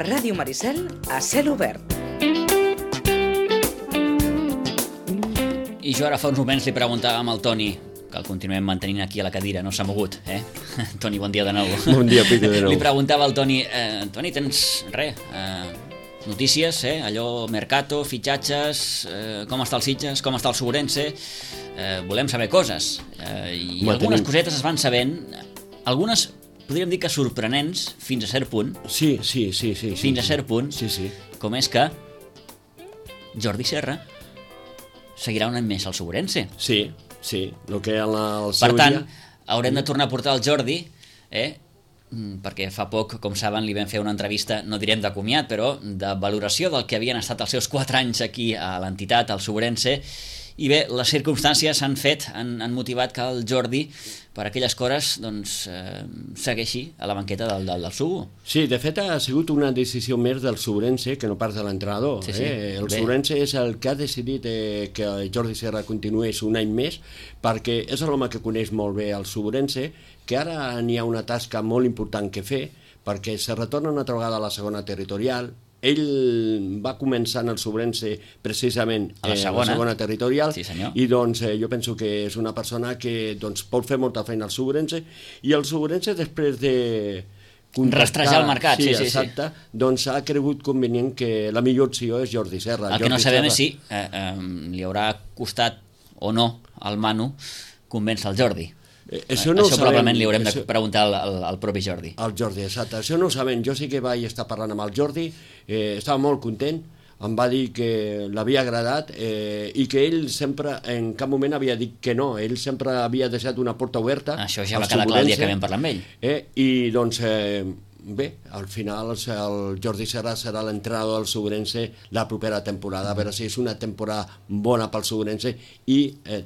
A Ràdio Maricel, a cel obert. I jo ara fa uns moments li preguntàvem al Toni, que el continuem mantenint aquí a la cadira, no s'ha mogut, Toni, bon dia de nou. Bon dia, Pico, de nou. Li preguntava al Toni, Toni, tens notícies, allò, mercato, fitxatges, com està el Sitges, com està el Ourense, volem saber coses. I algunes cosetes es van sabent, algunes podríem dir que sorprenents fins a cert punt. Sí. Fins a cert punt, com és que Jordi Serra seguirà un any més al Ourense. Sí, el que el seu per tant, dia... haurem de tornar a portar el Jordi, perquè fa poc, com saben, li vam fer una entrevista, no direm de comiat, però de valoració del que havien estat els seus 4 anys aquí a l'entitat, al Ourense, i bé, les circumstàncies han motivat que el Jordi, per aquelles coses, doncs, segueixi a la banqueta del Subo. Sí, de fet ha sigut una decisió més del Ourense que no pas de l'entrenador. El Ourense és el que ha decidit que Jordi Serra continués un any més, perquè és l'home que coneix molt bé el Ourense, que ara n'hi ha una tasca molt important que fer, perquè se retorna una altra vegada a la segona territorial. Ell va començar en el Ourense precisament a la segona territorial, sí, i doncs jo penso que és una persona que doncs, pot fer molta feina al Ourense, i el Ourense després de rastrejar el mercat, sí, exacte, doncs ha cregut convenient que la millor opció és Jordi Serra. El que no sabem és si li haurà costat o no al Manu convèncer el Jordi. Això probablement li haurem de preguntar al propi Jordi. Al Jordi, exacte. Això no ho sabem. Jo sí que vaig estar parlant amb el Jordi, estava molt content, em va dir que l'havia agradat i que ell sempre, en cap moment havia dit que no, ell sempre havia deixat una porta oberta. Això ja va quedar clar el dia que vam parlar amb ell. I doncs... Bé, al final el Jordi Serra serà l'entrenador del Ourense la propera temporada, a veure si és una temporada bona pel Ourense i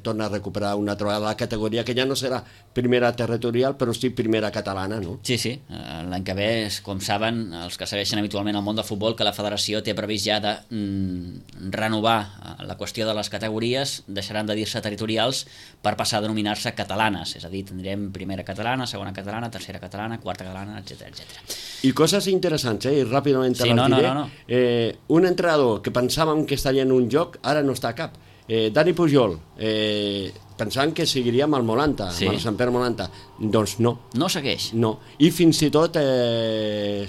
torna a recuperar una altra vegada la categoria, que ja no serà primera territorial, però sí primera catalana, no? Sí, l'any que ve, com saben, els que segueixen habitualment el món del futbol, que la federació té previst ja de renovar la qüestió de les categories, deixaran de dir-se territorials per passar a denominar-se catalanes, és a dir, tindrem primera catalana, segona catalana, tercera catalana, quarta catalana, etc. I coses interessants, i ràpidament te les diré. Un entrenador que pensàvem que estaria en un lloc, ara no està a cap. Dani Pujol, pensant que seguiria amb el Molanta, amb el Sant Pere Molanta. Doncs no. No segueix? No. I fins i tot n'hi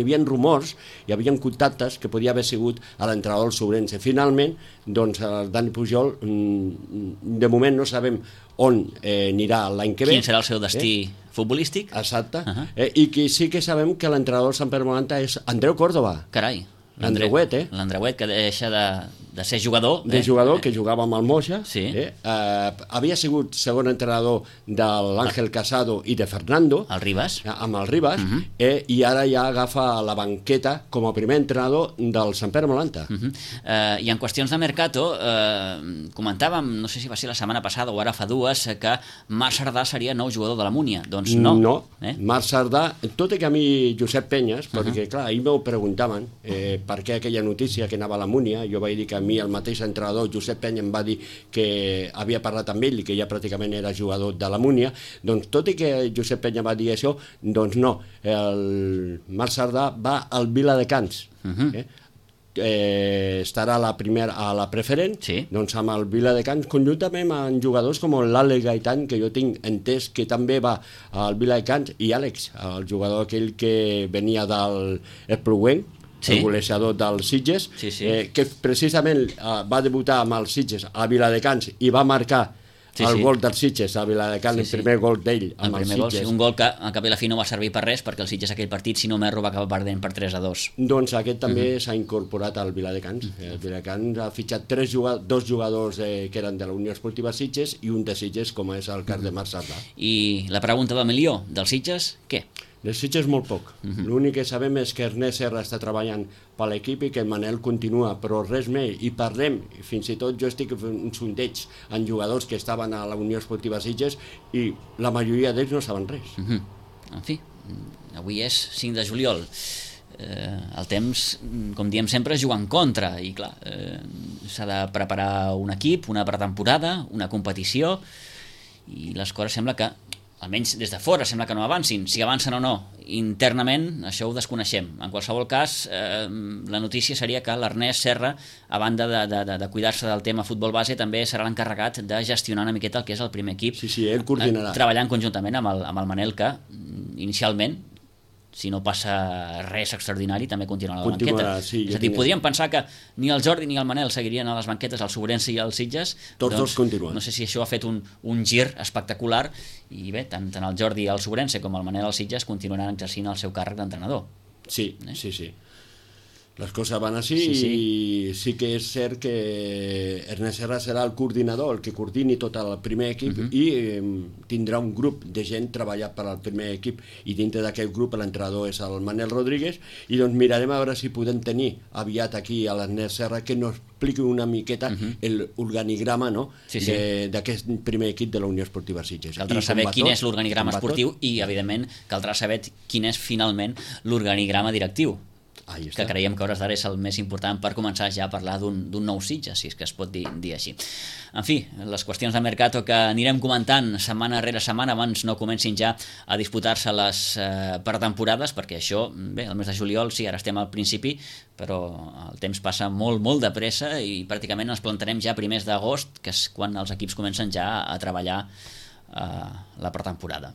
havia rumors, hi havia contactes que podia haver sigut a l'entrenador del Ourense. Finalment, doncs, el Dani Pujol, de moment no sabem on anirà l'any que ve. Quin serà el seu destí futbolístic? Exacte. I que sí que sabem que l'entrenador del Sant Pere Molanta és Andreu Córdoba. Carai. L'Andreuet, L'Andreuet, que deixa de ser jugador. De jugador, que jugava amb el Moixa. Sí. Havia sigut segon entrenador de l'Àngel Casado i de Fernando. El Ribas. Amb el Ribas. I ara ja agafa la banqueta com a primer entrenador del Sant Pere Molanta. I en qüestions de mercato, comentàvem, no sé si va ser la setmana passada o ara fa 2, que Marc Sardà seria nou jugador de la Múnia. Doncs no. No, Marc Sardà, tot i que a mi Josep Penyes, perquè clar, ahir m'ho preguntaven, per què aquella notícia que anava a la Múnia, jo vaig dir que a mi el mateix entrenador Josep Penya em va dir que havia parlat amb ell i que ja pràcticament era jugador de la Múnia. Doncs tot i que Josep Penya va dir això, doncs no, el Marc Sardà va al Viladecans. Estarà a la preferent, doncs amb el Viladecans, conjuntament amb jugadors com l'Àlex Gaitán, que jo tinc entès que també va al Viladecans, i Àlex, el jugador aquell que venia del Espluguenc, el golejador dels Sitges, que precisament va debutar amb els Sitges a Viladecans i va marcar el gol dels Sitges a Viladecans, el primer gol d'ell amb els Sitges. Un gol que al cap i la fi no va servir per res, perquè el Sitges aquell partit, si no m'erro, va acabar perdent per 3-2. Doncs aquest també s'ha incorporat al Viladecans. El Viladecans ha fitxat 2 jugadors que eren de la Unió Esportiva Sitges i un de Sitges, com és el cas de Marc Sardà. I la pregunta del milió, dels Sitges, què? Dels Sitges molt poc. L'únic que sabem és que Ernest Serra està treballant per l'equip i que el Manel continua, però res més. I parlem, fins i tot jo estic fent un sondeig en jugadors que estaven a la Unió Esportiva Sitges i la majoria d'ells no saben res. En fi, avui és 5 de juliol. El temps, com diem sempre, juga en contra i clar, s'ha de preparar un equip, una pretemporada, una competició, i les coses sembla que almenys des de fora sembla que no avancin. Si avancen o no internament, això ho desconeixem. En qualsevol cas, la notícia seria que l'Ernest Serra, a banda de cuidar-se del tema futbol base, també serà l'encarregat de gestionar una miqueta el que és el primer equip. Sí, ell coordinarà. Treballant conjuntament amb el Manel, que inicialment, si no passa res extraordinari, també continuarà a la banqueta. Sí, és a dir, podríem pensar que ni el Jordi ni el Manel seguirien a les banquetes, al Sobrense i als Sitges. Tots dos continuen. No sé si això ha fet un gir espectacular, i bé, tant el Jordi al Sobrense com el Manel als Sitges continuaran exercint el seu càrrec d'entrenador. Sí. Les coses van així i sí que és cert que Ernest Serra serà el coordinador, el que coordini tot el primer equip i tindrà un grup de gent treballant per al primer equip i dintre d'aquest grup l'entrenador és el Manel Rodríguez i doncs mirarem a veure si podem tenir aviat aquí a l'Ernest Serra que nos expliqui una miqueta l'organigrama d'aquest primer equip de la Unió Esportiva Sitges. Caldrà saber quin és l'organigrama esportiu i evidentment caldrà saber quin és finalment l'organigrama directiu, que creiem que a hores d'ara és el més important per començar ja a parlar d'un nou Sitges, si és que es pot dir així. En fi, les qüestions de mercato que anirem comentant setmana rere setmana abans no comencin ja a disputar-se les pretemporades, perquè això, bé, el mes de juliol sí, ara estem al principi, però el temps passa molt, molt de pressa i pràcticament ens plantarem ja primers d'agost, que és quan els equips comencen ja a treballar la pretemporada.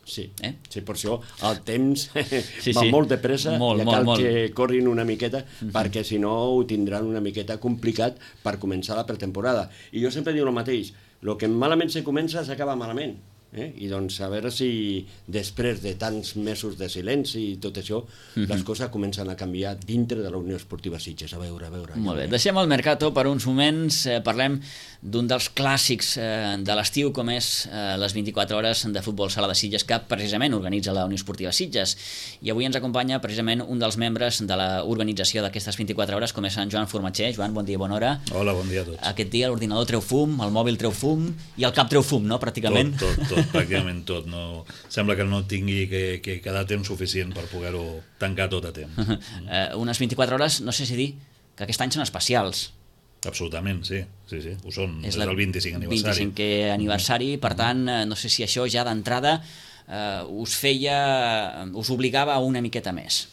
Sí, per això el temps va molt de pressa i cal que corrin una miqueta perquè si no ho tindran una miqueta complicat per començar la pretemporada. I jo sempre dic el mateix, el que malament se comença s'acaba malament. I doncs a veure si després de tants mesos de silenci i tot això les coses comencen a canviar dintre de la Unió Esportiva Sitges. A veure. Molt bé, deixem el mercato per uns moments, parlem d'un dels clàssics de l'estiu com és les 24 hores de futbol sala de Sitges que precisament organitza la Unió Esportiva Sitges i avui ens acompanya precisament un dels membres de l'organització d'aquestes 24 hores com és en Joan Formatger. Joan, bon dia, bona hora. Hola, bon dia a tots. Aquest dia l'ordinador treu fum, el mòbil treu fum i el cap treu fum, no? Pràcticament. Tot, pràcticament tot. No, sembla que no tingui que quedar temps suficient per poder-ho tancar tot a temps. Unes 24 hores, no sé si dir que aquest any són especials. Absolutament, sí, ho són. És el 25 aniversari. 25è aniversari, per tant, no sé si això ja d'entrada us obligava a una miqueta més.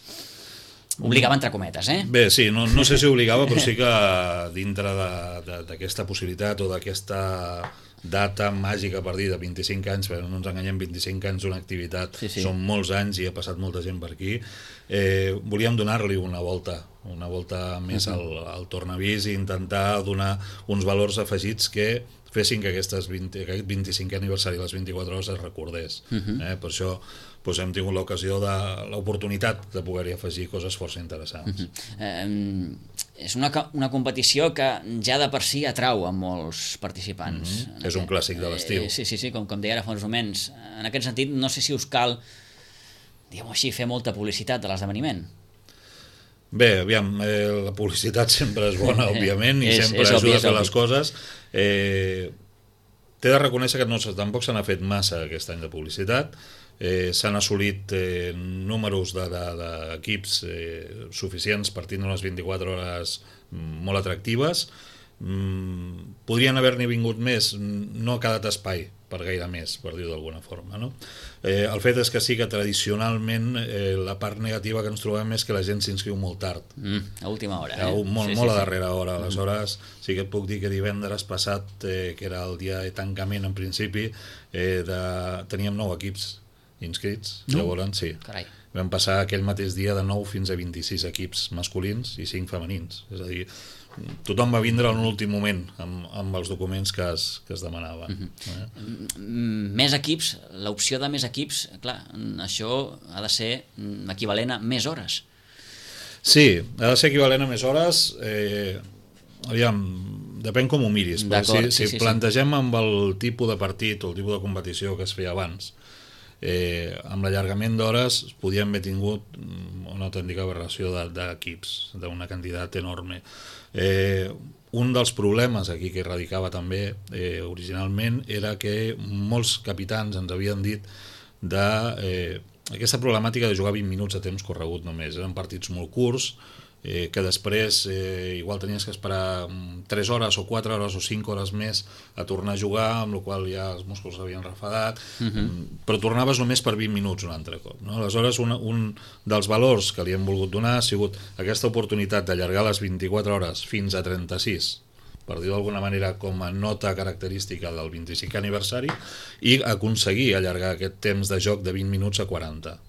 Obligava entre cometes, Bé, sí, no sé si obligava, però sí que dintre d'aquesta possibilitat o d'aquesta data màgica per dir de 25 anys, però no ens enganyem, 25 anys d'una activitat, són molts anys i ha passat molta gent per aquí, volíem donar-li una volta més al tornavís i intentar donar uns valors afegits que fessin que aquest 25è aniversari de les 24 hores es recordés. Per això hem tingut l'oportunitat de poder-hi afegir coses força interessants. És una competició que ja de per si atrau a molts participants. És un clàssic de l'estiu. Sí, com deia ara fa uns moments. En aquest sentit, no sé si us cal, diguem-ho així, fer molta publicitat de l'esdeveniment. Bé, aviam, la publicitat sempre és bona, òbviament, i sempre ajuda a fer les coses. T'he de reconèixer que tampoc se n'ha fet massa aquest any de publicitat. S'han assolit números d'equips suficients per tindre unes 24 hores molt atractives. Podrien haver-n'hi vingut més, no ha quedat espai per gaire més, per dir-ho d'alguna forma, no? El fet és que sí que tradicionalment la part negativa que ens trobem és que la gent s'inscriu molt tard. A última hora. Molt a darrera hora. Aleshores, sí que et puc dir que divendres passat, que era el dia de tancament en principi, teníem 9 equips inscrits. Llavors, sí. Carai. Vam passar aquell mateix dia de 9 fins a 26 equips masculins i 5 femenins. És a dir, tothom va vindre en l'últim moment amb els documents que es demanaven. Més equips, l'opció de més equips, clar, això ha de ser equivalent a més hores. Sí, ha de ser equivalent a més hores. Aviam, depèn com ho miris. Si plantegem amb el tipus de partit o el tipus de competició que es feia abans, amb l'allargament d'hores podíem haver tingut una autèntica aberració d'equips, d'una quantitat enorme. Un dels problemes aquí que radicava també originalment era que molts capitans ens havien dit d'aquesta problemàtica de jugar 20 minuts a temps corregut només. Eren partits molt curts, que després igual tenies que esperar 3 hores o 4 hores o 5 hores més a tornar a jugar, amb la qual ja els músculs s'havien refadat, però tornaves només per 20 minuts un altre cop, no? Aleshores, un dels valors que li hem volgut donar ha sigut aquesta oportunitat d'allargar les 24 hores fins a 36, per dir-ho d'alguna manera, com a nota característica del 25è aniversari, i aconseguir allargar aquest temps de joc de 20 minuts a 40.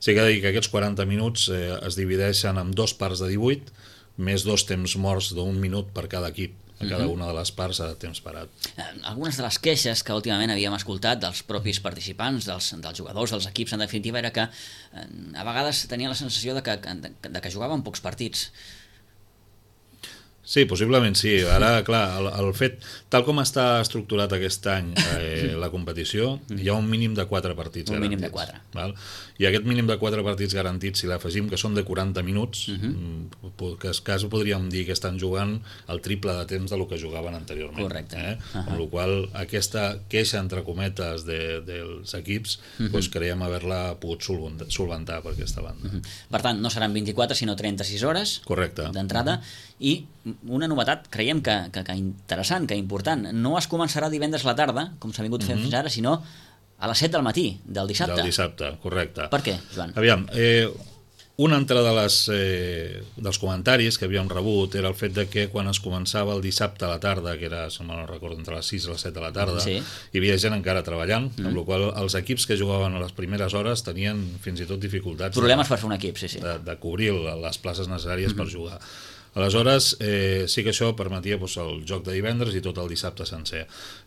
Sí que ha de dir que aquests 40 minuts es divideixen en 2 parts de 18, més 2 temps morts d'1 minut per cada equip. A cada una de les parts de temps parat. Algunes de les queixes que últimament havíem escoltat dels propis participants, dels jugadors, dels equips, en definitiva, era que a vegades tenien la sensació de que jugaven pocs partits. Sí, possiblement sí. Ara, clar, el fet, tal com està estructurat aquest any la competició, hi ha un mínim de 4 partits garantits. Un mínim de 4. Val? I aquest mínim de 4 partits garantits, si l'afegim que són de 40 minuts, que quasi podríem dir que estan jugant el triple de temps del que jugaven anteriorment. Correcte. Amb la qual aquesta queixa, entre cometes, dels equips, creiem haver-la pogut solventar per aquesta banda. Per tant, no seran 24, sinó 36 hores d'entrada, i una novetat, creiem que interessant, que important, no es començarà divendres a la tarda, com s'ha vingut fent fins ara, sinó a les 7 del matí, del dissabte. Del dissabte, correcte. Per què, Joan? Aviam, una altra dels comentaris que havíem rebut era el fet de que quan es començava el dissabte a la tarda, que era, si no recordo, entre les 6 i les 7 de la tarda, hi havia gent encara treballant, amb la qual els equips que jugaven a les primeres hores tenien fins i tot dificultats. Problemes per fer un equip, sí. De cobrir les places necessàries per jugar. Aleshores, sí que això permetia el joc de divendres i tot el dissabte sencer.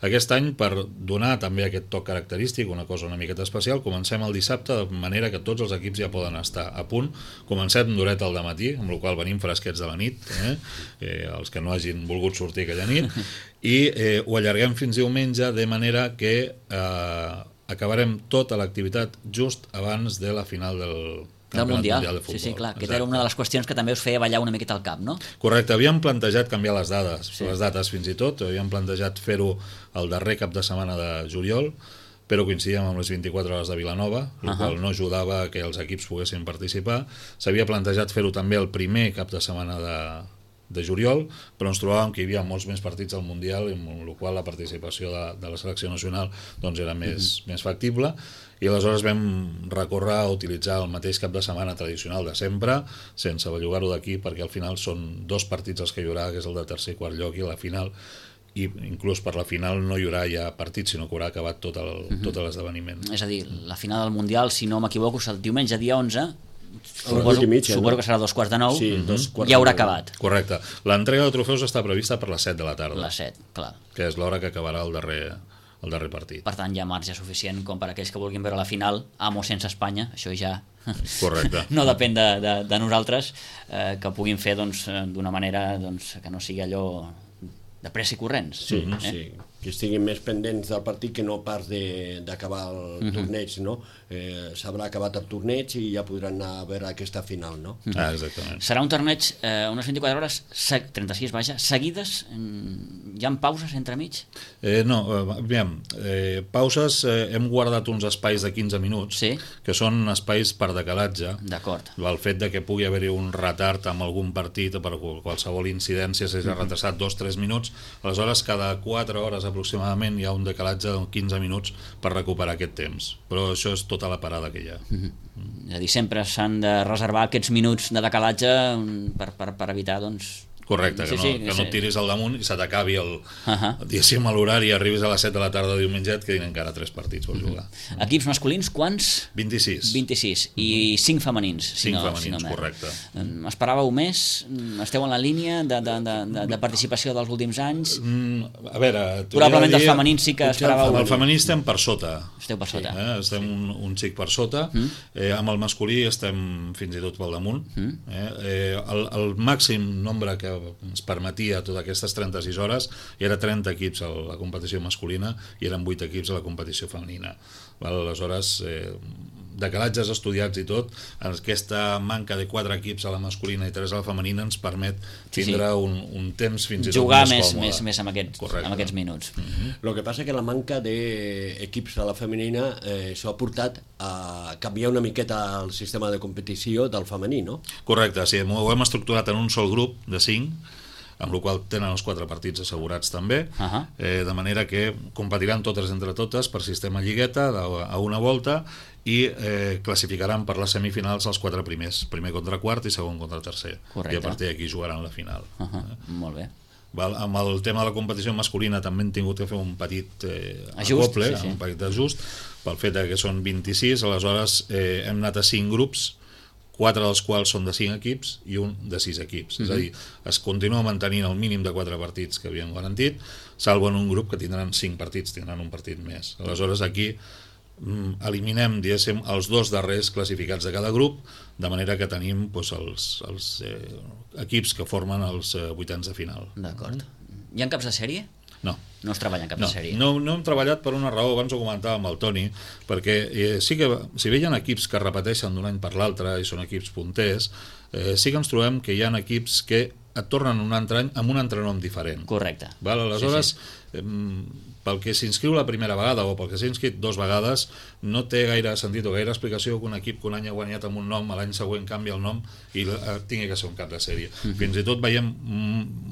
Aquest any, per donar també aquest toc característic, una cosa una miqueta especial, comencem el dissabte de manera que tots els equips ja poden estar a punt. Comencem d'horeta al dematí, amb la qual venim fresquets de la nit, els que no hagin volgut sortir aquella nit, i ho allarguem fins diumenge, de manera que acabarem tota l'activitat just abans de la final del Mundial de Futbol. Sí, clar, aquesta era una de les qüestions que també us feia ballar una miqueta al cap, no? Correcte, havíem plantejat canviar les dates fins i tot, havíem plantejat fer-ho el darrer cap de setmana de juliol, però coincidíem amb les 24 hores de Vilanova, el qual no ajudava que els equips poguessin participar. S'havia plantejat fer-ho també el primer cap de setmana de juliol, però ens trobàvem que hi havia molts més partits al Mundial, amb la qual la participació de la selecció nacional era més factible, i aleshores vam recórrer a utilitzar el mateix cap de setmana tradicional de sempre, sense bellugar-ho d'aquí, perquè al final són 2 partits els que hi haurà, que és el de tercer i quart lloc, i la final, i inclús per la final no hi haurà ja partits, sinó que haurà acabat tot l'esdeveniment. És a dir, la final del Mundial, si no m'equivoco, és el diumenge dia 11, suposo que serà 2:45, sí, ja haurà acabat. Correcte. L'entrega de trofeus està prevista per les 7 de la tarda. Les 7, clar. Que és l'hora que acabarà el darrer partit. Per tant, hi ha marge suficient com per aquells que vulguin veure la final amb o sense Espanya, això ja correcte. No depèn de nosaltres, que puguin fer d'una manera que no sigui allò de pressa i corrents. Sí, que estiguin més pendents del partit que no pas d'acabar el torneig, no? S'haurà acabat el torneig i ja podran anar a veure aquesta final, no? Exactament. Serà un torneig unes 24 hores, 36, seguides? Hi ha pauses entremig? No, aviam, pauses, hem guardat uns espais de 15 minuts, que són espais per decalatge. D'acord. El fet de que pugui haver-hi un retard amb algun partit o per qualsevol incidència s'hagi retrasat 2-3 minuts, aleshores cada 4 hores aproximadament hi ha un decalatge de 15 minuts per recuperar aquest temps, però això és tota la parada que hi ha. És a dir, sempre s'han de reservar aquests minuts de decalatge per evitar, Correcte, que no et tiris al damunt i se t'acabi diguéssim a l'horari i arribis a les 7 de la tarda diumenge et quedin encara 3 partits per jugar. Equips masculins, quants? 26. 26, i 5 femenins. 5 femenins, correcte. Esperàveu més? Esteu en la línia de participació dels últims anys? A veure... Probablement dels femenins sí que esperàveu... El femení estem per sota. Esteu per sota. Estem un xic per sota. Amb el masculí estem fins i tot pel damunt. El màxim nombre que ens permetia totes aquestes 36 hores era 30 equips a la competició masculina i eren 8 equips a la competició femenina. Aleshores, decalatges estudiats i tot, aquesta manca de 4 equips a la masculina i 3 a la femenina ens permet tindre un temps fins i tot jugar més còmode. Jugar més amb aquests minuts. El que passa que la manca d'equips a la femenina s'ha portat a canviar una miqueta el sistema de competició del femení, no? Correcte, sí, ho hem estructurat en un sol grup de 5, amb la qual tenen els 4 partits assegurats també, de manera que competiran totes entre totes per sistema lligueta a una volta i classificaran per les semifinals els 4 primers, primer contra quart i segon contra tercer. Correcte. I a partir d'aquí jugaran la final. Molt bé. Amb el tema de la competició masculina també hem tingut que fer un petit acople, un petit ajust, pel fet que són 26, aleshores hem anat a 5 grups, 4 dels quals són de 5 equips i un de 6 equips. És a dir, es continua mantenint el mínim de 4 partits que havíem garantit, salvo en un grup que tindran 5 partits, tindran un partit més. Aleshores aquí eliminem, diguéssim, els 2 darrers classificats de cada grup, de manera que tenim els equips que formen els vuitens de final. D'acord. Hi ha caps de sèrie? No. No es treballa en cap de sèrie? No hem treballat per una raó, abans ho comentava amb el Toni, perquè sí que, si bé hi ha equips que repeteixen d'un any per l'altre i són equips punters, sí que ens trobem que hi ha equips que et tornen un altre any amb un altre nom diferent. Correcte. Aleshores, pel que s'inscriu la primera vegada o pel que s'ha inscrit 2 vegades, no té gaire sentit o gaire explicació que un equip que un any ha guanyat amb un nom, l'any següent canvia el nom i tingui que ser un cap de sèrie. Fins i tot veiem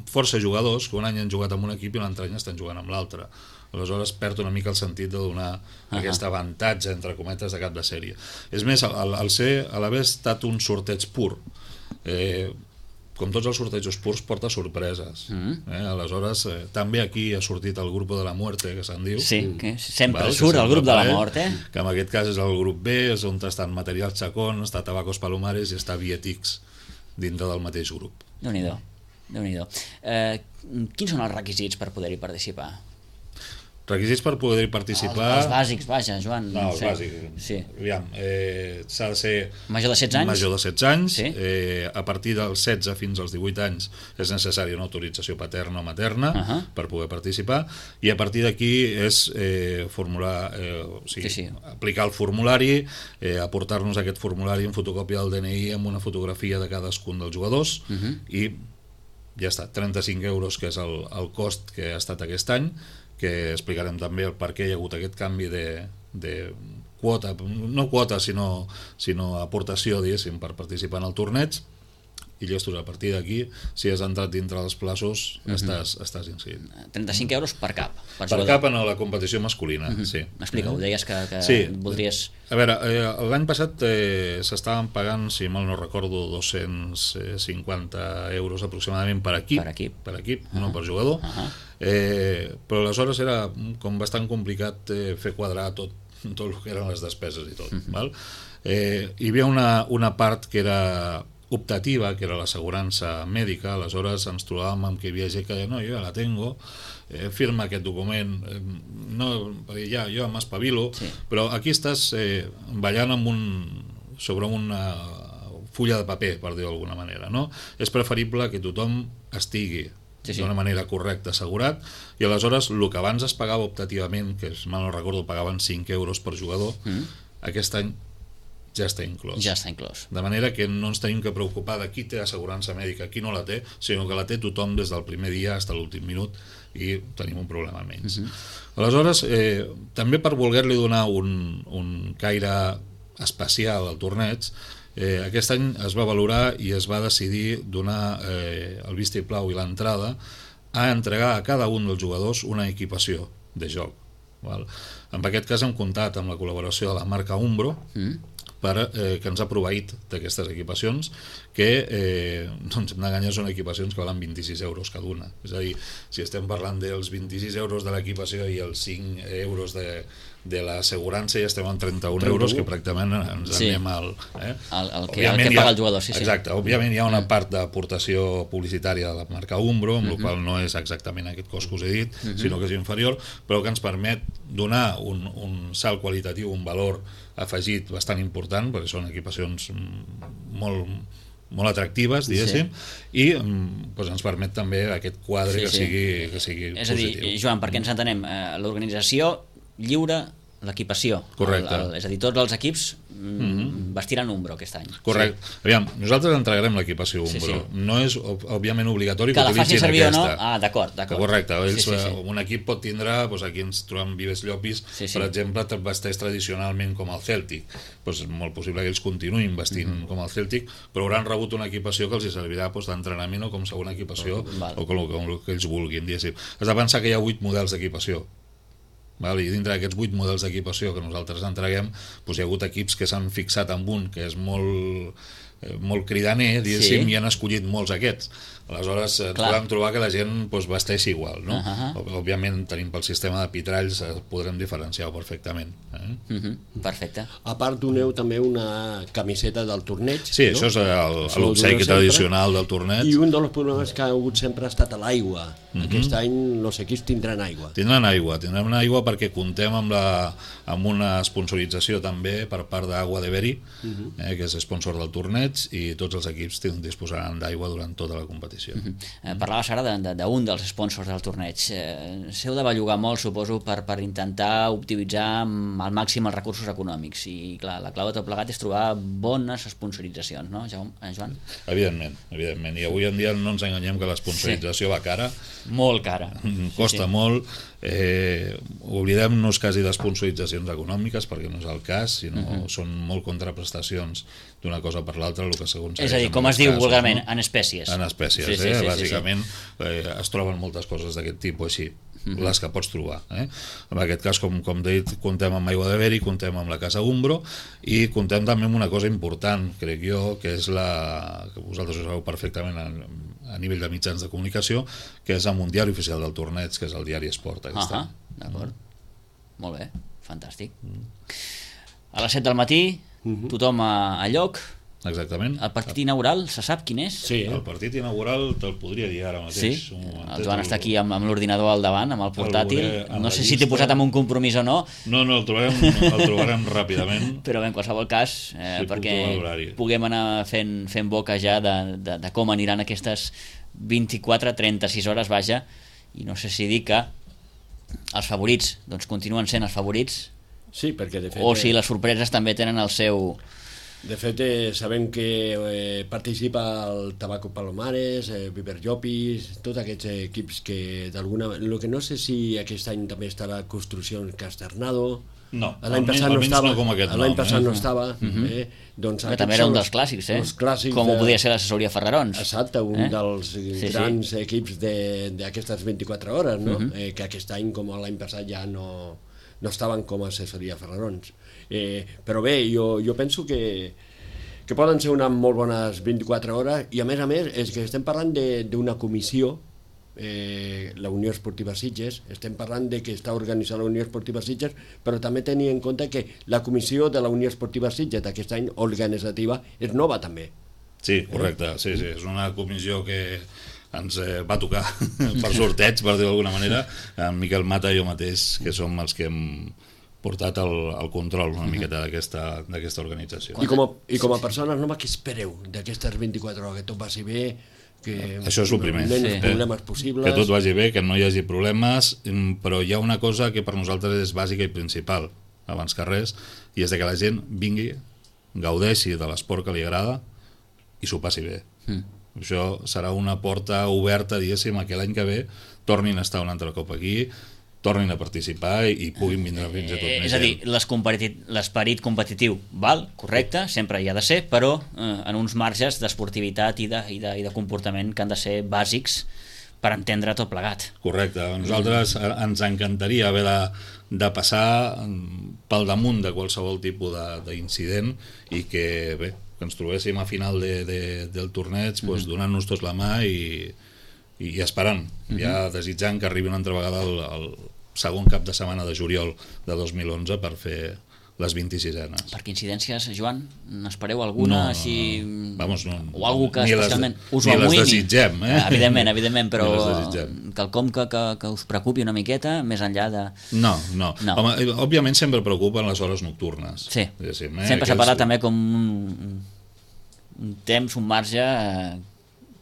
força jugadors que un any han jugat amb un equip i l'altre any estan jugant amb l'altre. Aleshores perd una mica el sentit de donar aquest avantatge, entre cometes, de cap de sèrie. És més, a l'haver estat un sorteig pur, com tots els sortejos purs, porta sorpreses. Aleshores, també aquí ha sortit el grup de la muerte, que se'n diu. Sí, que sempre surt el grup de la mort, que en aquest cas és el grup B, és on estan Material Chacón, està Tabacos Palomares i està Vietix dintre del mateix grup. Déu-n'hi-do. Quins són els requisits per poder-hi participar? Requisits per poder participar... Els bàsics, vaja, Joan. No, els bàsics. Sí. Aviam, s'ha de ser... Major de 16 anys? Major de 16 anys. Sí. A partir dels 16 fins als 18 anys és necessària una autorització paterna o materna per poder participar, i a partir d'aquí és aplicar el formulari, aportar-nos aquest formulari en fotocòpia del DNI amb una fotografia de cadascun dels jugadors i ja està, 35 euros, que és el cost que ha estat aquest any, que explicarem també el per què hi ha hagut aquest canvi de quota, no quota, sinó aportació, diguéssim, per participar en el torneig, i llestos, a partir d'aquí, si has entrat dintre dels plaços, estàs inscrit. 35 euros per cap. Per cap en la competició masculina, sí. Explica-ho, deies que voldries... A veure, l'any passat s'estaven pagant, si mal no recordo, 250 euros aproximadament per equip, no per jugador, però aleshores era com bastant complicat fer quadrar tot el que eren les despeses i tot. Hi havia una part que era optativa, que era l'assegurança mèdica. Aleshores ens trobàvem amb que hi havia gent que deia, no, jo ja la tengo, firma aquest document, perquè ja jo m'espavilo, però aquí estàs ballant sobre una fulla de paper, per dir-ho d'alguna manera, no? És preferible que tothom estigui d'una manera correcta, assegurat, i aleshores el que abans es pagava optativament, que mal no recordo, pagaven 5 euros per jugador, aquest any ja està inclòs. Ja està inclòs. De manera que no ens tenim que preocupar de qui té assegurança mèdica, qui no la té, sinó que la té tothom des del primer dia fins a l'últim minut i tenim un problema menys. Aleshores, també per voler-li donar un caire especial al torneig, aquest any es va valorar i es va decidir donar el vistiplau i l'entrada a entregar a cada un dels jugadors una equipació de joc. En aquest cas hem comptat amb la col·laboració de la marca Umbro, que ens ha proveït d'aquestes equipacions, que no ens hem d'enganyar, són equipacions que valen 26 euros cada una. És a dir, si estem parlant dels 26 euros de l'equipació i els 5 euros de l'assegurança, ja estem en 31 euros, que pràcticament ens anem al... El que paga el jugador, sí. Exacte, òbviament hi ha una part d'aportació publicitària de la marca Umbro, amb la qual no és exactament aquest cost que us he dit, sinó que és inferior, però que ens permet donar un salt qualitatiu, un valor afegit bastant important, perquè són equipacions molt atractives, diguéssim, i ens permet també aquest quadre que sigui positiu. És a dir, Joan, perquè ens entenem, l'organització lliure l'equipació. Correcte. És a dir, tots els equips vestiran Umbro aquest any. Correcte. Sí. Aviam, nosaltres entregarem l'equipació Umbro. No és, òbviament, obligatori que Que la utilitzin aquesta. facin servir o no? Ah, d'acord. Correcte. Un equip pot tindre, aquí ens trobem Vives Llopis, per exemple, vesteix tradicionalment com el Celtic. És molt possible que ells continuïn vestint com el Celtic, però hauran rebut una equipació que els servirà d'entrenament o com segona equipació o com el que ells vulguin. Has de pensar que hi ha 8 models d'equipació. I dintre d'aquests 8 models d'equipació que nosaltres entreguem, hi ha hagut equips que s'han fixat en un que és molt cridaner, diguéssim, i han escollit molts aquests. Aleshores podem trobar que la gent vesteix igual, no? Òbviament tenim pel sistema de pitralls, podrem diferenciar-ho perfectament. Perfecte. A part doneu també una camiseta del torneig. Sí, això és l'obsequi tradicional del torneig. I un dels problemes que ha hagut sempre ha estat l'aigua. Aquest any els equips tindran aigua. Tindran aigua perquè comptem amb una sponsorització també per part d'Agua de Beri, que és sponsor del torneig, i tots els equips disposaran d'aigua durant tota la competició. Parlaves ara d'un dels sponsors del torneig. S'heu de bellugar molt, suposo, per intentar optimitzar al màxim els recursos econòmics, i clar, la clau de tot plegat és trobar bones sponsoritzacions, no, Joan? Evidentment, i avui en dia no ens enganyem que la sponsorització va cara. Molt cara. Costa molt. Oblidem-nos quasi d'esponsoritzacions econòmiques, perquè no és el cas, sinó són molt contraprestacions d'una cosa per l'altra, el que segons... És a dir, com es diu vulgarment, en espècies. En espècies, bàsicament es troben moltes coses d'aquest tipus així, les que pots trobar. En aquest cas, com he dit, comptem amb Aigua de Beri, comptem amb la Casa Umbro, i comptem també amb una cosa important, crec jo, que és que vosaltres ho sabeu perfectament a nivell de mitjans de comunicació, que és amb un diari oficial del torneig, que és el Diari Esport. D'acord. Molt bé, fantàstic. A les 7 del matí, tothom a lloc. Exactament. El partit inaugural, se sap quin és? Sí, el partit inaugural te'l podria dir ara mateix. Sí? El Joan està aquí amb l'ordinador al davant, amb el portàtil. No sé si t'he posat en un compromís o no. No, el trobarem ràpidament. Però bé, en qualsevol cas, perquè puguem anar fent boca ja de com aniran aquestes 24-36 hores, vaja, i no sé si dir que els favorits continuen sent els favorits, perquè de fet, o si les sorpreses també tenen el seu... De fet, sabem que participa el Tabaco Palomares, Viver Llopis, tots aquests equips que d'alguna... El que no sé si aquest any també estarà Construcció Casternado. No, l'any passat no estava. L'any passat no estava. També era un dels clàssics, com ho podia ser l'assessoria Ferrarons. Exacte, un dels grans equips d'aquestes 24 hores, que aquest any, com l'any passat, ja no estaven com a assessoria Ferrarons. Però bé, jo penso que poden ser unes molt bones 24 hores, i a més és que estem parlant d'una comissió, la Unió Esportiva Sitges, estem parlant de que està organitzant la Unió Esportiva Sitges, però també tenir en compte que la comissió de la Unió Esportiva Sitges d'aquest any organitzativa és nova també. Sí, correcte, sí, és una comissió que ens va tocar per sorteig, per dir-ho d'alguna manera, en Miquel Mata i jo mateix, que som els que hem portat el control una miqueta d'aquesta organització. I com a persones, què espereu d'aquestes 24 hores? Que tot vagi bé, que això és el primer, menys problemes possibles... Que tot vagi bé, que no hi hagi problemes, però hi ha una cosa que per nosaltres és bàsica i principal, abans que res, i és que la gent vingui, gaudeixi de l'esport que li agrada i s'ho passi bé. Això serà una porta oberta, diguéssim, que l'any que ve tornin a estar un altre cop aquí, tornin a participar i puguin vindre fins a tot més. És a dir, l'esperit competitiu val, correcte, sempre hi ha de ser, però en uns marges d'esportivitat i de comportament que han de ser bàsics per entendre tot plegat. Correcte. A nosaltres ens encantaria haver de passar pel damunt de qualsevol tipus d'incident i que, bé, que ens trobéssim a final del torneig donant-nos tots la mà i esperant, ja desitjant que arribi una altra vegada el segon cap de setmana de juliol de 2011 per fer les 26enes. Perquè incidències, Joan, n'espereu alguna? O algú que especialment us ho amoïni? Ni les desitgem, Evidentment, però quelcom que us preocupi una miqueta, més enllà de... No. Home, òbviament sempre preocupen les hores nocturnes. Sí, sempre s'ha parlat també com un temps, un marge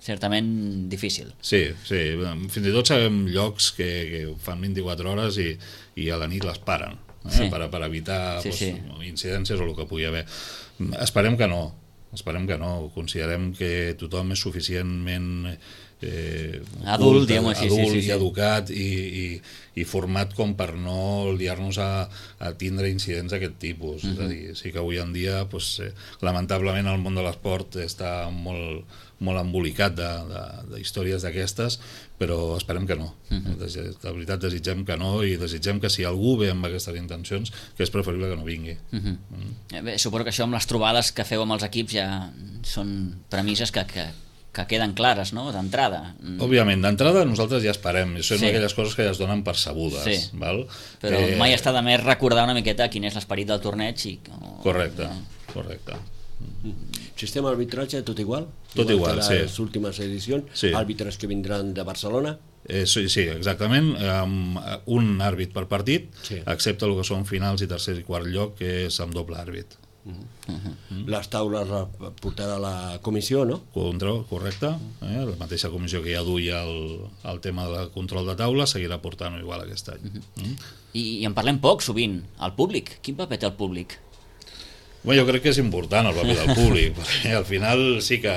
certament difícil. Sí, fins i tot sabem llocs que fan 24 hores i a la nit les paren. per evitar incidències o el que pugui haver. Esperem que no, considerem que tothom és suficientment adult i educat i format com per no liar-nos a tindre incidents d'aquest tipus. És a dir, sí que avui en dia lamentablement el món de l'esport està molt embolicat de històries d'aquestes, però esperem que no. De veritat desitgem que no, i desitgem que si algú ve amb aquestes intencions, que és preferible que no vingui. Bé, suposo que això amb les trobades que feu amb els equips ja són premisses que queden clares, no?, d'entrada. Òbviament, d'entrada nosaltres ja esperem, són aquelles coses que ja es donen per sabudes, val? Però mai està de més recordar una miqueta quin és l'esperit del torneig i... Correcte. Sistema d'arbitratge tot igual? Tot igual, sí. Les últimes edicions, àrbitres que vindran de Barcelona? Sí, exactament, un àrbit per partit, excepte el que són finals i tercer i quart lloc, que és amb doble àrbit. Les taules portarà la comissió, no? Correcte, la mateixa comissió que ja duia el tema del control de taula seguirà portant igual aquest any. I en parlem poc sovint, el públic, quin paper té el públic? Bé, jo crec que és important el paper del públic, perquè al final sí que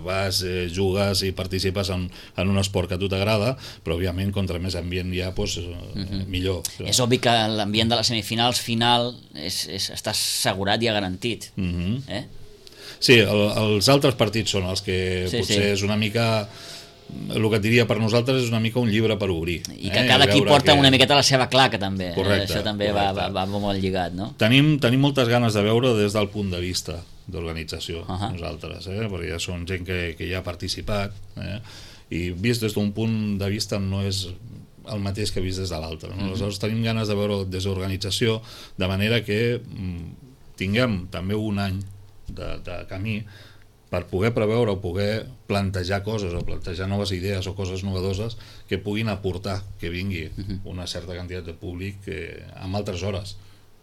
vas, jugues i participes en un esport que a tu t'agrada, però òbviament contra més ambient hi ha, millor. És obvi que l'ambient de les semifinals final està assegurat i garantit. Sí, els altres partits són els que potser és una mica... El que et diria per nosaltres és una mica un llibre per obrir. I que cada equip porta una miqueta la seva claca, també. Correcte. Això també va molt lligat, no? Tenim moltes ganes de veure des del punt de vista d'organització, nosaltres, perquè ja són gent que ja ha participat, i vist des d'un punt de vista no és el mateix que vist des de l'altre. Aleshores tenim ganes de veure des d'organització, de manera que tinguem també un any de camí per poder preveure o poder plantejar coses o plantejar noves idees o coses novedoses que puguin aportar que vingui una certa quantitat de públic amb altres hores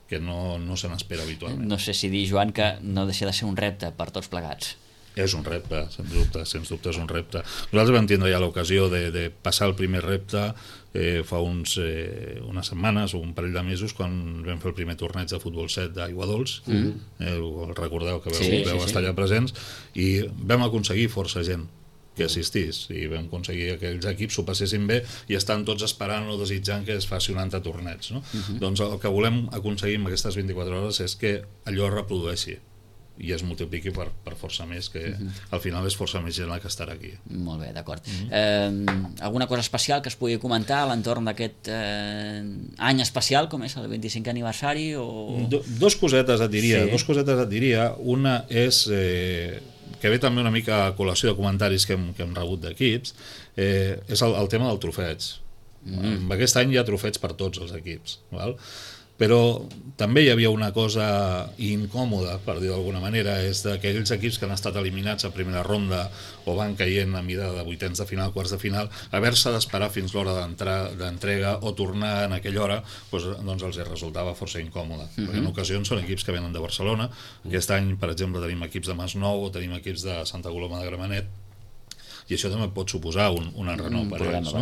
que no se n'espera habitualment. No sé si dir, Joan, que no deixa de ser un repte per tots plegats. És un repte, sens dubte és un repte. Nosaltres vam tindre ja l'ocasió de passar el primer repte fa unes setmanes o un parell de mesos quan vam fer el primer torneig de futbol 7 d'Aigua Dols, recordeu que vau estar allà presents, i vam aconseguir força gent que assistís, i vam aconseguir que aquells equips s'ho passessin bé i estan tots esperant o desitjant que es faci un altre torneig, no? Doncs el que volem aconseguir en aquestes 24 hores és que allò es reprodueixi i es multipliqui per força més, que al final és força més gent la que estarà aquí. Molt bé, d'acord. Alguna cosa especial que es pugui comentar a l'entorn d'aquest any especial, com és el 25è aniversari? Dos cosetes et diria. Una és, que ve també una mica a col·lació de comentaris que hem rebut d'equips, és el tema del trofeig. Aquest any hi ha trofeig per tots els equips, val? Però també hi havia una cosa incòmoda, per dir d'alguna manera, és d'aquells equips que han estat eliminats a primera ronda o van caient a mida de vuitens de final, quarts de final, haver-se d'esperar fins l'hora d'entrega o tornar en aquella hora, doncs els resultava força incòmode. Perquè en ocasions són equips que venen de Barcelona. Aquest any, per exemple, tenim equips de Masnou o tenim equips de Santa Coloma de Gramenet, i això també pot suposar un enrenou per ells, no?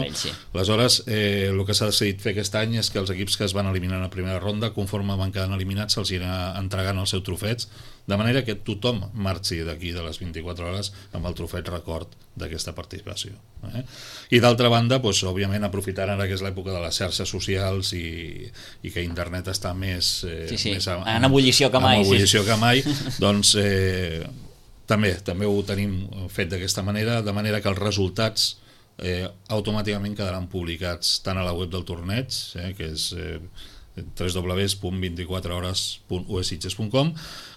Aleshores, el que s'ha decidit fer aquest any és que els equips que es van eliminar a primera ronda, conforme van quedant eliminats, se'ls irà entregant el seu trofeig, de manera que tothom marxi d'aquí de les 24 hores amb el trofeig record d'aquesta participació. I d'altra banda, òbviament aprofitant ara que és l'època de les xarxes socials i que internet està més en ebullició que mai, doncs també ho tenim fet d'aquesta manera, de manera que els resultats automàticament quedaran publicats tant a la web del torneig, que és www.24hores.uesitges.com,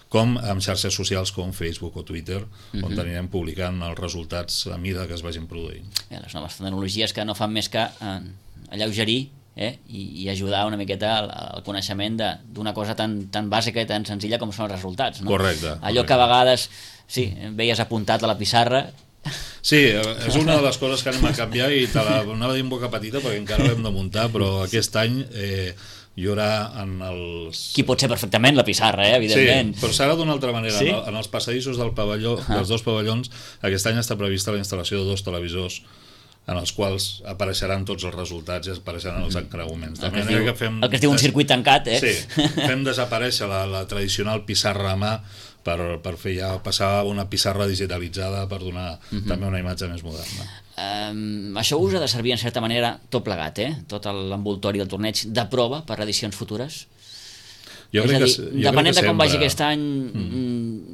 com amb xarxes socials com Facebook o Twitter, on anirem publicant els resultats a mida que es vagin produint. Les noves tecnologies que no fan més que alleugerir i ajudar una miqueta al coneixement d'una cosa tan bàsica i tan senzilla com són els resultats. Correcte. Allò que a vegades veies apuntat a la pissarra. Sí, és una de les coses que anem a canviar i te l'anava a dir en boca petita perquè encara l'hem de muntar, però aquest any hi haurà en els... Qui pot ser perfectament la pissarra, evidentment. Sí, però serà d'una altra manera. En els passadissos dels dos pavellons aquest any està prevista la instal·lació de 2 televisors en els quals apareixeran tots els resultats i apareixeran els encreuaments. El que es diu un circuit tancat, Sí, fem desaparèixer la tradicional pissarra a mà per fer ja passar una pissarra digitalitzada per donar també una imatge més moderna. Això us ha de servir en certa manera tot plegat, tot l'envoltori del torneig de prova per edicions futures? Jo crec que depenent de com vagi aquest any,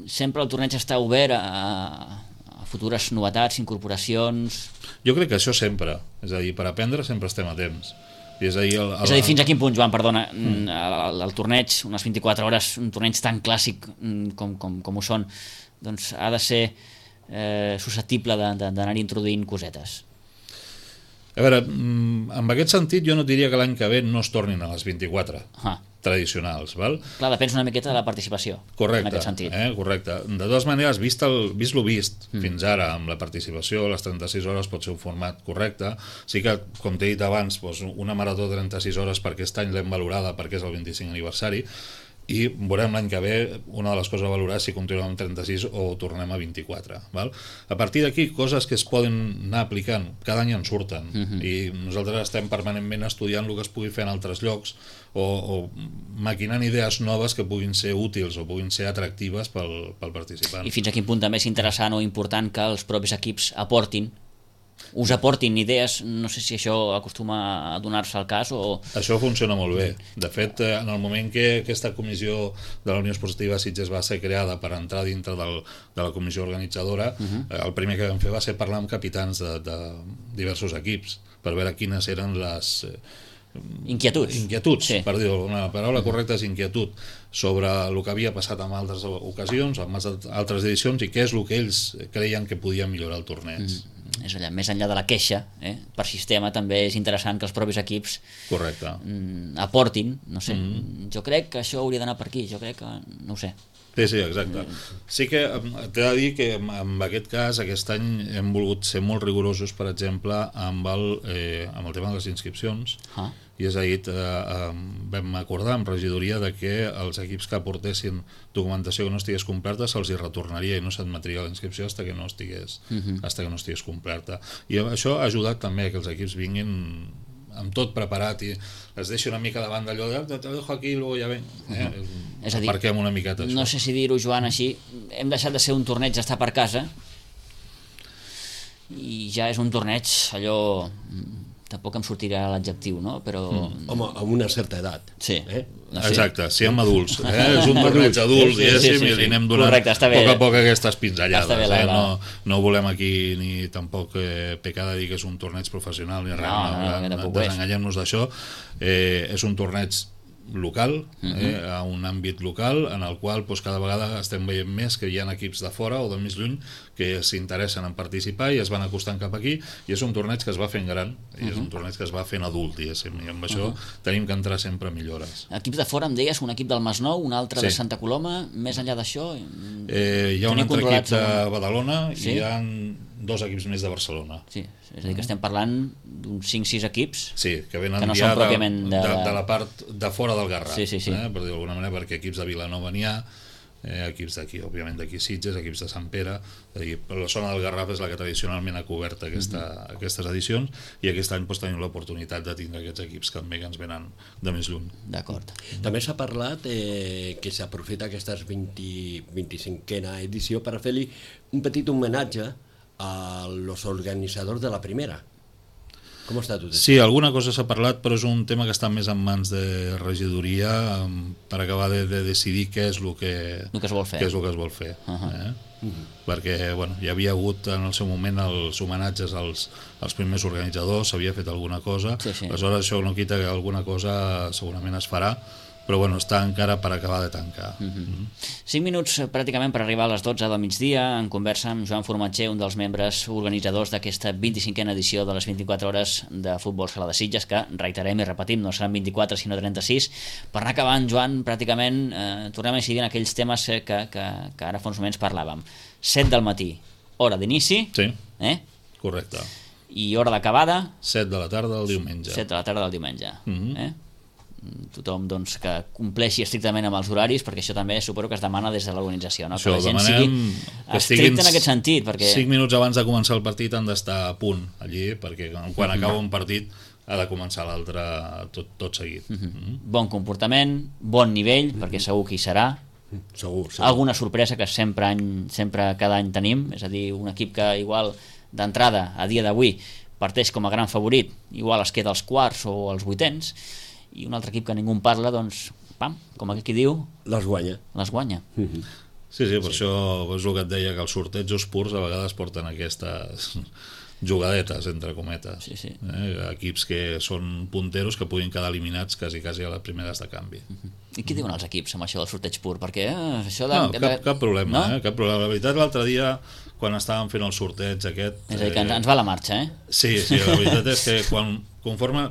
sempre el torneig està obert a futures novetats, incorporacions... Jo crec que això sempre, és a dir, per aprendre sempre estem a temps. És a dir, fins a quin punt, Joan, perdona, el torneig, unes 24 hores, un torneig tan clàssic com ho són, doncs ha de ser susceptible d'anar-hi introduint cosetes. A veure, en aquest sentit jo no diria que l'any que ve no es tornin a les 24 tradicionals, val? Clar, depèn una miqueta de la participació. Correcte, en aquest sentit. Correcte. De totes maneres, vist lo vist fins ara amb la participació, les 36 hores pot ser un format correcte. Sí que, com t'he dit abans, una marató de 36 hores per aquest any l'hem valorada perquè és el 25 aniversari, i veurem l'any que ve una de les coses a valorar si continuem amb 36 o tornem a 24, val? A partir d'aquí, coses que es poden anar aplicant cada any en surten, i nosaltres estem permanentment estudiant el que es pugui fer en altres llocs o maquinant idees noves que puguin ser útils o puguin ser atractives pel participant. I fins a quin punt també és interessant o important que els propis equips us aportin idees, no sé si això acostuma a donar-se al cas o... Això funciona molt bé. De fet, en el moment que aquesta comissió de la Unió Esportiva Sitges va ser creada per entrar dintre de la comissió organitzadora, el primer que vam fer va ser parlar amb capitans de diversos equips per veure quines eren les... Inquietuds, sí. Per dir-ho, una paraula correcta és inquietud, sobre el que havia passat en altres ocasions, en altres edicions, i què és el que ells creien que podia millorar el torneig. És allà, més enllà de la queixa, per sistema també és interessant que els propis equips aportin, no sé, jo crec que això hauria d'anar per aquí, jo crec que, no ho sé. Sí, exacte. Sí que t'he de dir que en aquest cas, aquest any hem volgut ser molt rigorosos, per exemple, amb el tema de les inscripcions, i és ahir vam acordar amb regidoria de que els equips que aportessin documentació que no estigués completa se'ls hi retornaria i no s'admetria la inscripció fins que no estigués completa. I això ha ajudat també que els equips vinguin amb tot preparat i es deixa una mica davant d'allò de te dejo aquí i luego ja ven. És a dir, aparquem una miqueta això. No sé si dir-ho, Joan, així, hem deixat de ser un torneig d'estar per casa i ja és un torneig allò... Tampoc em sortirà l'adjectiu, no? Però... Home, amb una certa edat. Sí. Exacte, si amb adults. És un torneig adult, diguéssim, i li anem donant a poc aquestes pinzellades. No volem aquí ni tampoc pecar de dir que és un torneig professional ni res, desenganyem-nos d'això. És un torneig local, a un àmbit local en el qual cada vegada estem veient més que hi ha equips de fora o de més lluny que s'interessen en participar i es van acostant cap aquí, i és un torneig que es va fent gran i és un torneig que es va fent adult, diguéssim, i amb això tenim que entrar sempre millores. Equips de fora, em deies, un equip del Masnou, un altre de Santa Coloma, més enllà d'això? Hi ha un altre equip de Badalona i hi ha 2 equips més de Barcelona. Sí, és a dir, que estem parlant d'uns 5-6 equips que venen no ja són pròpiament de la part de fora del Garraf, per dir-ho d'alguna manera, perquè equips de Vilanova n'hi ha, equips d'aquí, òbviament d'aquí Sitges, equips de Sant Pere, la zona del Garraf és la que tradicionalment ha cobert aquestes edicions, i aquest any tenim l'oportunitat de tindre aquests equips que també ens venen de més lluny. D'acord. També s'ha parlat que s'aprofita aquesta 25a edició per fer-li un petit homenatge a los organitzadors de la primera. Com està tot això? Sí, alguna cosa s'ha parlat, però és un tema que està més en mans de regidoria per acabar de decidir què és el que es vol fer. Perquè hi havia hagut en el seu moment els homenatges als primers organitzadors, s'havia fet alguna cosa, aleshores això no quita que alguna cosa segurament es farà, però està encara per acabar de tancar. 5 minuts pràcticament per arribar a les 12 del migdia, en conversa amb Joan Formatger, un dels membres organitzadors d'aquesta 25a edició de les 24 hores de futbol sala de Sitges, que reiterem i repetim, no seran 24 sinó 36. Per anar acabant, Joan, pràcticament tornem a incidir en aquells temes que ara fa uns moments parlàvem. 7 del matí, hora d'inici. Sí, correcte. I hora d'acabada? 7 de la tarda del diumenge. 7 de la tarda del diumenge. tothom doncs, que compleixi estrictament amb els horaris, perquè això també suposo que es demana des de l'organització, no? Això, que la gent sigui estricta en aquest sentit, perquè 5 minuts abans de començar el partit han d'estar a punt allí, perquè quan acaba un partit ha de començar l'altre tot seguit. Bon comportament, bon nivell, perquè segur que hi serà. Segur. Alguna sorpresa que sempre cada any tenim, és a dir, un equip que igual d'entrada a dia d'avui parteix com a gran favorit, igual es queda als quarts o als vuitens, i un altre equip que ningú en parla, doncs, pam, com aquell qui diu, les guanya. Sí, per això és el que et deia, que els sortejos purs a vegades porten aquestes jugadetes, entre cometes. Sí. Equips que són punteros que puguin quedar eliminats quasi a les primeres de canvi. I què diuen els equips amb això del sorteig pur? Perquè això cap problema, no? Cap problema. La veritat, l'altre dia, quan estàvem fent el sorteig aquest... És a dir, que ens va la marxa, eh? Sí, la veritat és que conforme...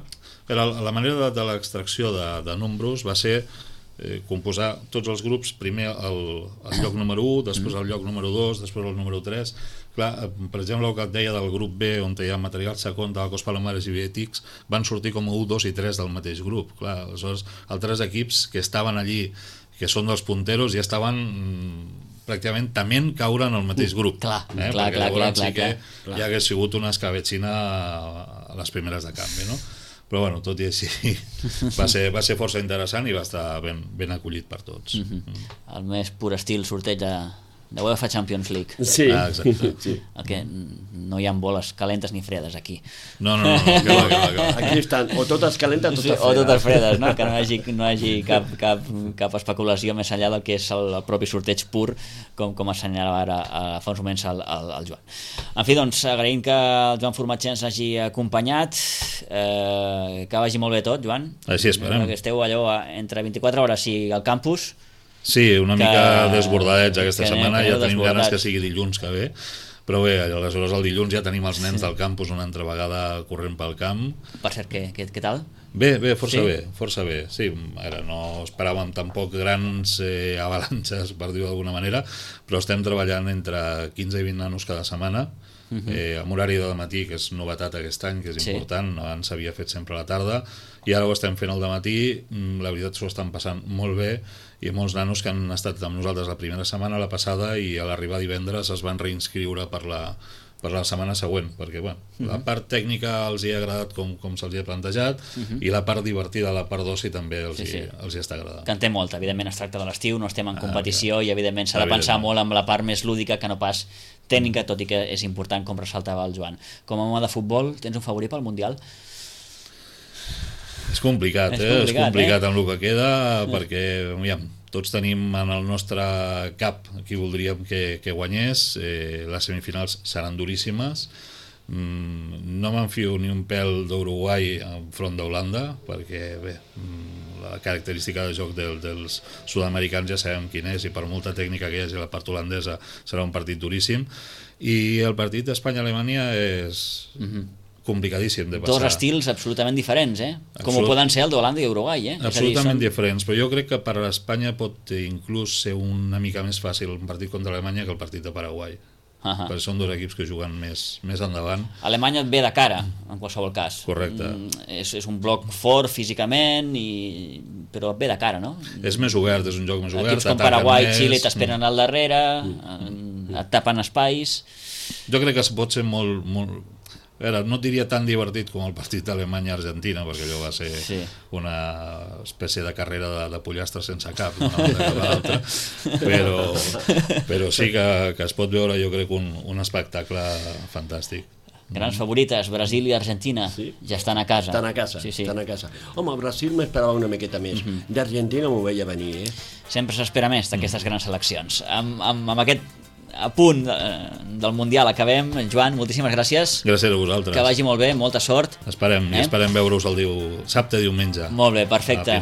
La manera de l'extracció de números va ser composar tots els grups, primer el lloc número 1, després el lloc número 2, després el número 3. Clar, per exemple, el que et deia del grup B, on hi ha material segon de la Cos Palomares i Vietix, van sortir com 1, 2 i 3 del mateix grup. Clar, aleshores, altres equips que estaven allí, que són dels punteros, ja estaven pràcticament tement caure en el mateix grup. Clar. Perquè llavors sí que ja hagués sigut una escabetxina a les primeres de canvi, no? Però bueno, tot i així va ser força interessant i va estar ben acollit per tots. El més pur estil sorteig de UEFA Champions League. Sí. Exacte. Sí. El que no hi ha boles calentes ni fredes aquí. No, que va. Aquí estan o totes calentes o totes fredes. O totes fredes, no? Que no hi hagi cap especulació més enllà del que és el propi sorteig pur, com assenyalava ara fa uns moments el Joan. En fi, doncs, agraïm que el Joan Formatge ens hagi acompanyat, que vagi molt bé tot, Joan. Així esperem. Que esteu allò entre 24 hores i al campus. Sí, una mica desbordadets aquesta setmana, ja tenim ganes que sigui dilluns que ve, però bé, aleshores el dilluns ja tenim els nens del campus una altra vegada corrent pel camp. Per cert, què tal? Bé, força bé. Sí, no esperàvem tampoc grans avalances, per dir-ho d'alguna manera, però estem treballant entre 15 i 20 nanos cada setmana, amb horari de matí, que és novetat aquest any, que és important. Abans s'havia fet sempre a la tarda i ara ho estem fent al matí. La veritat s'ho estan passant molt bé, i molts nanos que han estat amb nosaltres la primera setmana, la passada, i a l'arribar divendres es van reinscriure per la setmana següent, perquè la part tècnica els hi ha agradat com se'ls hi ha plantejat, i la part divertida, la part d'oci, també els hi està agradant. Que en té molt, evidentment es tracta de l'estiu, no estem en competició, i evidentment s'ha de pensar molt amb la part més lúdica que no pas tècnica, tot i que és important, com ressaltava el Joan. Com a home de futbol, tens un favorit pel Mundial? És complicat, és complicat amb el que queda, perquè tots tenim en el nostre cap qui voldríem que guanyés. Les semifinals seran duríssimes. No m'enfio ni un pèl d'Uruguai enfront d'Holanda, perquè bé, la característica de joc dels sud-americans ja sabem quin és, i per molta tècnica que hi hagi a la part holandesa serà un partit duríssim, i el partit d'Espanya-Alemanya és complicadíssim de passar. Dos estils absolutament diferents, com ho poden ser el d'Holanda i Uruguai. Absolutament diferents, però jo crec que per a Espanya pot inclús ser una mica més fàcil un partit contra Alemanya que el partit de Paraguai. Perquè són dos equips que juguen més endavant. Alemanya et ve de cara, en qualsevol cas. Correcte. És un bloc fort físicament, però et ve de cara, no? És més obert, és un joc més obert. Equips com Paraguai i Xile t'esperen al darrere, et tapen espais. Jo crec que pot ser molt... no diria tan divertit com el partit d'Alemanya-Argentina, perquè allò va ser una espècie de carrera de pollastres sense cap, però sí que es pot veure, jo crec, un espectacle fantàstic. Grans favorites, Brasil i Argentina, ja estan a casa. Estan a casa. Home, Brasil m'esperava una miqueta més. D'Argentina m'ho veia venir, Sempre s'espera més d'aquestes grans seleccions. Amb aquest a punt del Mundial acabem. Joan, moltíssimes gràcies. Gràcies a vosaltres. Que vagi molt bé, molta sort. Esperem veure-us el dissabte i diumenge. Molt bé, perfecte.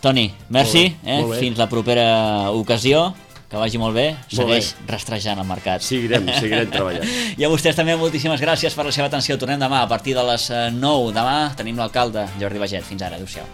Toni, merci, fins la propera ocasió. Que vagi molt bé, segueix rastrejant el mercat. Seguirem treballant. I a vostès també moltíssimes gràcies per la seva atenció. Tornem demà a partir de les 9. Demà tenim l'alcalde Jordi Baget. Fins ara, adéu-siau.